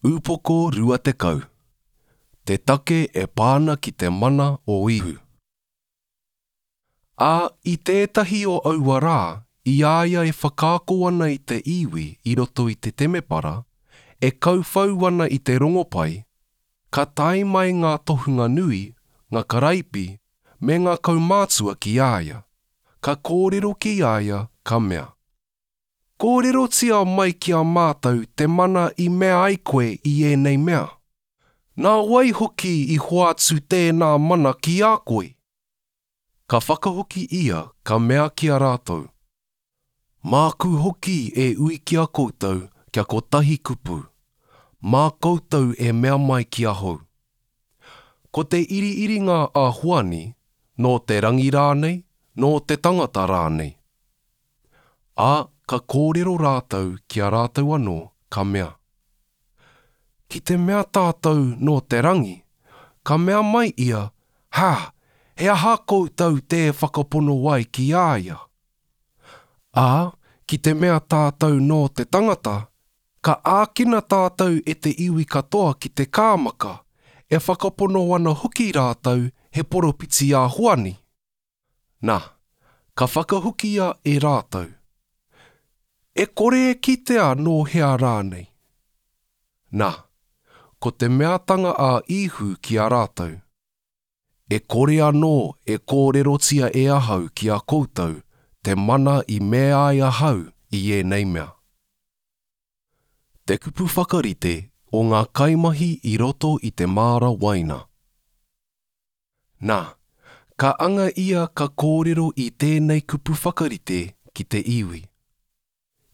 Upoko 20. Te take e pā ana ki te mana o Ihu. Ā, i tētahi o aua rā, i a ia e whakaako ana i te iwi i roto i te temepara, e kauwhau ana i te rongopai, ka tae mai ngā tohunga nui, ngā karaipi, me ngā kaumātua ki a ia, ka kōrero ki a ia, ka mea. Kōrerotia mai ki a mātou te mana i mea ai koe i ēnei mea. Nā wai hoki i hoatu tēnā mana ki a koe? Ka whakahoki ia, ka mea ki a rātou, Māku hoki e ui ki a koutou kia kotahi kupu, mā koutou e mea mai ki ahau. Ko te iriiringa a Hoani, nō te rangi rānei, nō te tangata rānei? Ā, ka kōrero rātou ki a rātou anō, ka mea, Ki te mea tātou nō te rangi, ka mea mai ia, Ha, he aha koutou tē whakapono ai ki a ia? Ā, ki te mea tātou nō te tangata, ka ākina tātou e te iwi katoa ki te kāmaka, e whakapono ana hoki rātou he poropiti a Hoani. Na, ka whakahokia e rātou, E kore e kitea nō hea rānei. Na, ko te meatanga a Īhu ki a rātou, E kore anō e kōrerotia e ahau ki a koutou te mana i mea ai ahau i ēnei mea. Te kupu whakarite o ngā kaimahi i roto i te māra waina. Na, ka anga ia ka kōrero i tēnei kupu whakarite ki te iwi.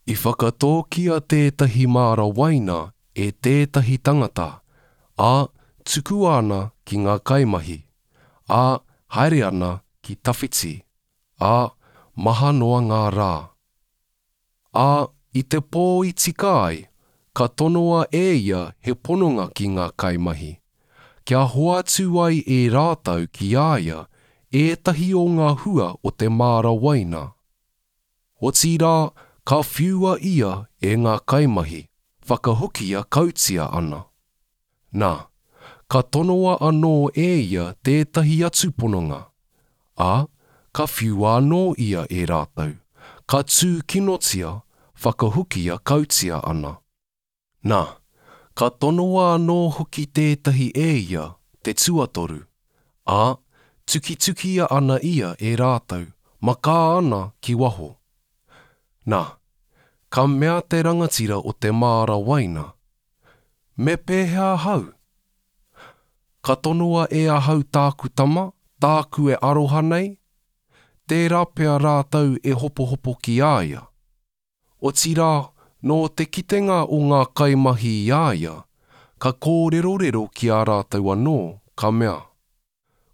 I whakatōkia tētahi māra waina e tētahi tangata, ā, tukua ana ki ngā kaimahi, ā, haere ana ki tawhiti, ā, maha noa ngā rā. Ā, i te pō i tika ai, ka tonoa e ia he pononga ki ngā kaimahi, kia hoatu ai e rātou ki a ia ētahi o ngā hua o te māra waina. Otirā, ka whiua ia e ngā kaimahi, whakahokia kautia ana. Nā, ka tonoa anō e ia tētahi atu pononga, ā, ka whiua anō ia e rātou, ka tūkinotia, whakahokia kautia ana. Nā, ka tonoa anō hoki tētahi e ia, te tuatoru, ā, tukitukia ana ia e rātou, makā ana ki waho. Nā, ka mea te rangatira o te māra waina, Me pēhea ahau? Ka tonoa e ahau tāku tama, tāku e aroha nei? Tērā pea rātou e hopohopo ki a ia. Otirā, nō te kitenga o ngā kaimahi i a ia, ka kōrerorero ki a rātou anō, ka mea.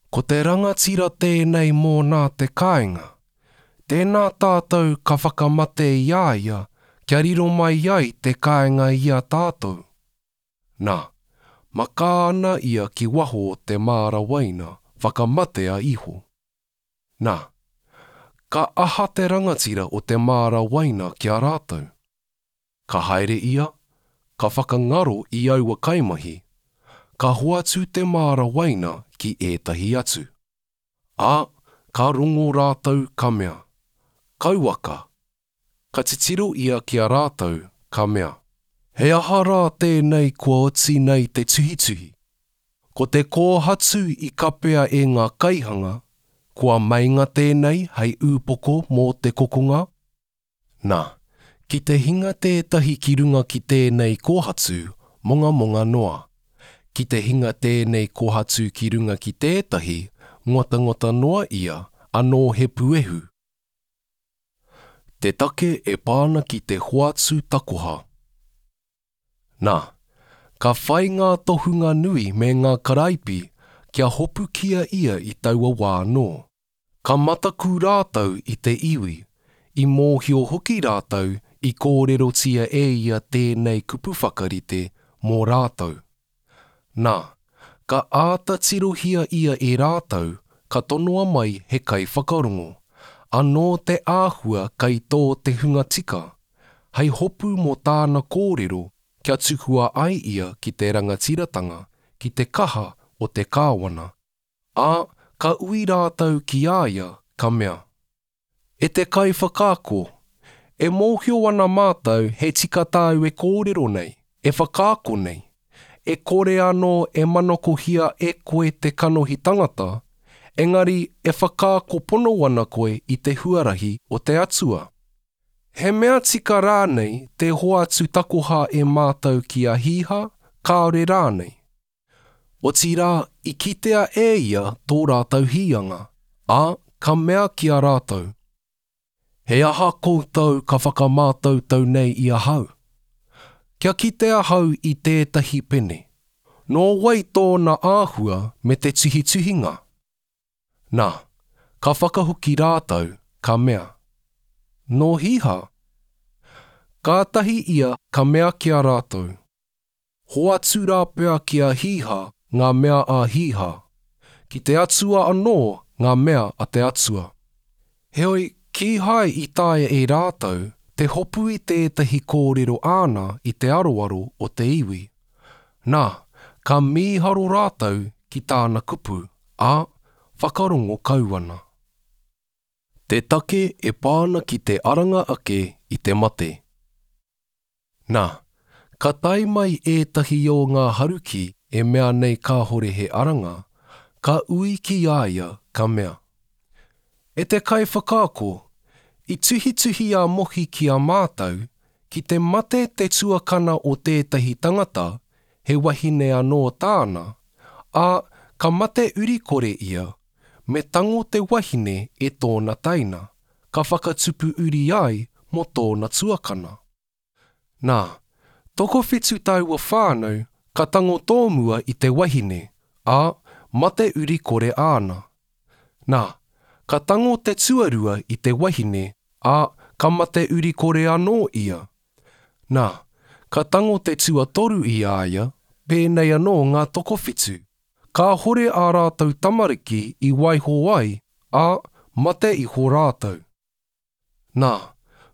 Ko te rangatira tēnei mōnā te kāinga. Tēnā tātou ka whakamate i a ia kia riro mai ai te kāinga i a tātou. Nā, makā ana ia ki waho o te māra waina, whakamatea iho. Nā, ka aha te rangatira o te māra waina ki a rātou? Ka haere ia, ka whakangaro i aua kaimahi, ka hoatu te māra waina ki ētahi atu. Ā, ka rongo rātou ka mea, Kauaka! Ka titiro ia ki a rātou, ka mea, He aha rā tēnei kua oti nei te tuhituhi? Ko te kōhatu i kapea e ngā kaihanga, kua meinga tēnei hei ūpoko mō te kokonga? Nā, ki te hinga tētahi ki runga ki tēnei kōhatu, mongamonga noa. Ki te hinga tēnei kōhatu ki runga ki tētahi, ngotangota noa ia, anō he puehu. Te take e pā ana ki te hoatu takoha. Nā, ka whai ngā tohunga nui me ngā karaipi kia hopukia ia i taua wā anō. Ka mataku rātou i te iwi, i mōhio hoki rātou i kōrerotia e ia tēnei kupu whakarite mō rātou. Nā, ka āta tirohia ia e rātou, ka tonoa mai he kaiwhakarongo, anō te āhua kei tō te hunga tika, hei hopu mō tāna kōrero. kia tukua ai ia ki te rangatiratanga, ki te kaha o te kāwana. Ā, ka ui rātou ki a ia, ka mea, E te Kaiwhakaako, e mōhio ana mātou he tika tāu e kōrero nei, e whakaako nei, e kore anō e manakohia e koe te kanohi tangata, engari e whakaako pono ana koe i te huarahi o te Atua. He mea tika rānei te hoatu takoha e mātou ki a Hīha, kāore rānei? Otirā, i kitea e ia tō rātou hīanga, ā, ka mea ki a rātou, He aha koutou ka whakamātautau nei i ahau? Kia kite ahau i tētahi pene. Nō wai tōna āhua me te tuhituhinga? Nā, ka whakahoki rātou, ka mea, Nō Hīha? Kātahi ia ka mea ki a rātou, Hoatu rāpea ki a Hīha ngā mea a Hīha, ki te Atua anō ngā mea a te Atua. Heoi, kīhai i taea e rātou te hopu i tētahi kōrero āna i te aroaro o te iwi. Nā, ka mīharo rātou ki tāna kupu, ā, whakarongo kau ana. Te take e pā ana ki te aranga ake i te mate. Nā, ka tae mai ētahi o ngā Haruki e mea nei kāhore he aranga, ka ui ki a ia, ka mea, E te Kaiwhakaako, i tuhituhi a Mohi ki a mātou, ki te mate te tuakana o tētahi tangata, he wahine anō tāna, ā, ka mate urikore ia, me tango te wahine e tōna teina, ka whakatupu uri ai mō tōna tuakana. Nā, tokowhitu taua whānau ka tango tōmua i te wahine, ā, mate uri kore āna. Nā, ka tango te tuarua i te wahine, ā, ka mate uri kore anō ia. Nā, ka tango te tuatoru i a ia, pēnei anō ngā tokowhitu. Kāhore ā rātou tamariki i waiho ai, ā, mate iho rātou. Nā,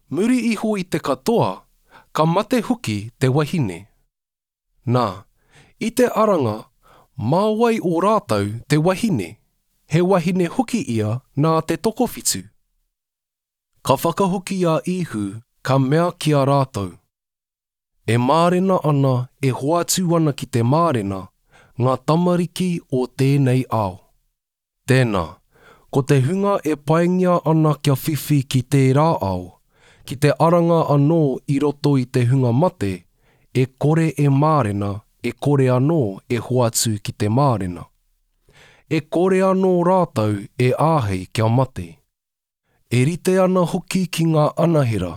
muri iho i te katoa, ka mate hoki te wahine. Nā, i te aranga, mā wai o rātou te wahine? He wahine hoki ia nā te tokowhitu. Ka whakahoki a Īhu, ka mea ki a rātou, E mārena ana, e hoatu ana ki te mārena, ngā tamariki o tēnei ao. Tēnā, ko te hunga e paingia ana kia whiwhi ki tērā ao, ki te aranga anō i roto i te hunga mate, e kore e mārena, e kore anō e hoatu ki te mārena. E kore anō rātou e āhei kia mate. E rite ana hoki ki ngā anahera,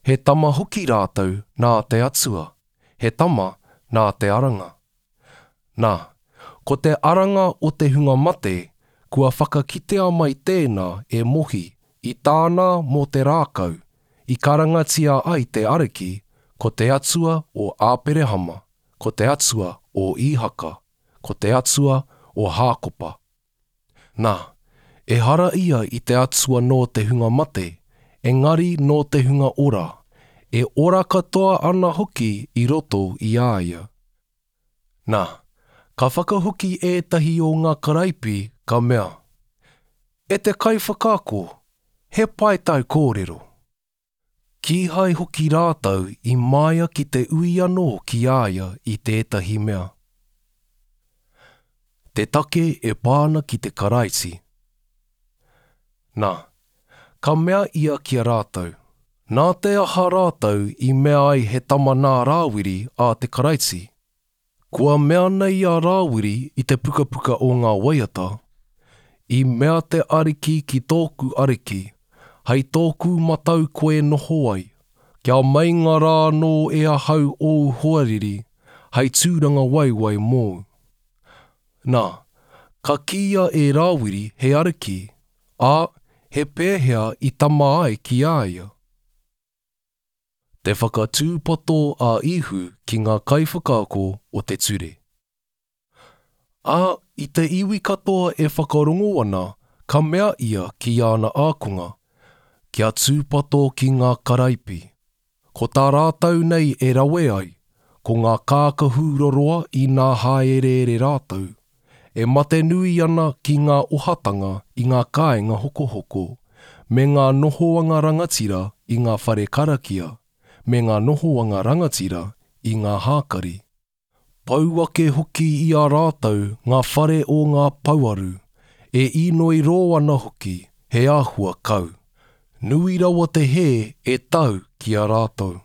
he tama hoki rātou nā te Atua, he tama nā te aranga. Nā, ko te aranga o te hunga mate, kua whakakitea mai tēnā e Mohi i tāna mō te rākau, i karangatia ai te Ariki, ko te Atua o Āperehama, ko te Atua o Īhaka, ko te Atua o Hākopa. Nā, ehara ia i te Atua nō te hunga mate, engari nō te hunga ora, e ora katoa ana hoki i roto i a ia. Nā, ka whakahoki ētahi o ngā karaipi, ka mea, E te Kaiwhakaako, he pai tāu kōrero. Kīhai hoki rātou i māia ki te ui anō ki a ia i tētahi mea. Te take e pā ana ki te Karaiti. Nā, ka mea ia ki a rātou, Nā te aha rātou i mea ai he tama nā Rāwiri a te Karaiti? Kua mea nei a Rāwiri i te pukapuka o ngā waiata, I mea te Ariki ki tōku Ariki, Hei tōku matau koe noho ai, kia meinga rā anō e ahau ōu hoariri hei tūrangawaewae mōu. Nā, ka kīia e Rāwiri he Ariki, ā, he pēhea i tama ai ki a ia? Te whakatūpato a Īhu ki ngā kaiwhakaako o te ture. Ā, i te iwi katoa e whakarongo ana, ka mea ia ki āna ākonga, Kia tūpato ki ngā karaipi. Ko tā rātou nei e rawe ai, Ko ngā kākahu roroa inā hāereere rātou, e matenui ana ki ngā ohatanga i ngā kāinga hokohoko, me ngā nohoanga rangatira i ngā whare karakia, me ngā nohoanga rangatira i ngā hākari. Pau ake hoki i a rātou ngā whare o ngā pouaru, e īnoi rō ana hoki, he āhua kau. Nui rawa te hē e tau ki a rātou.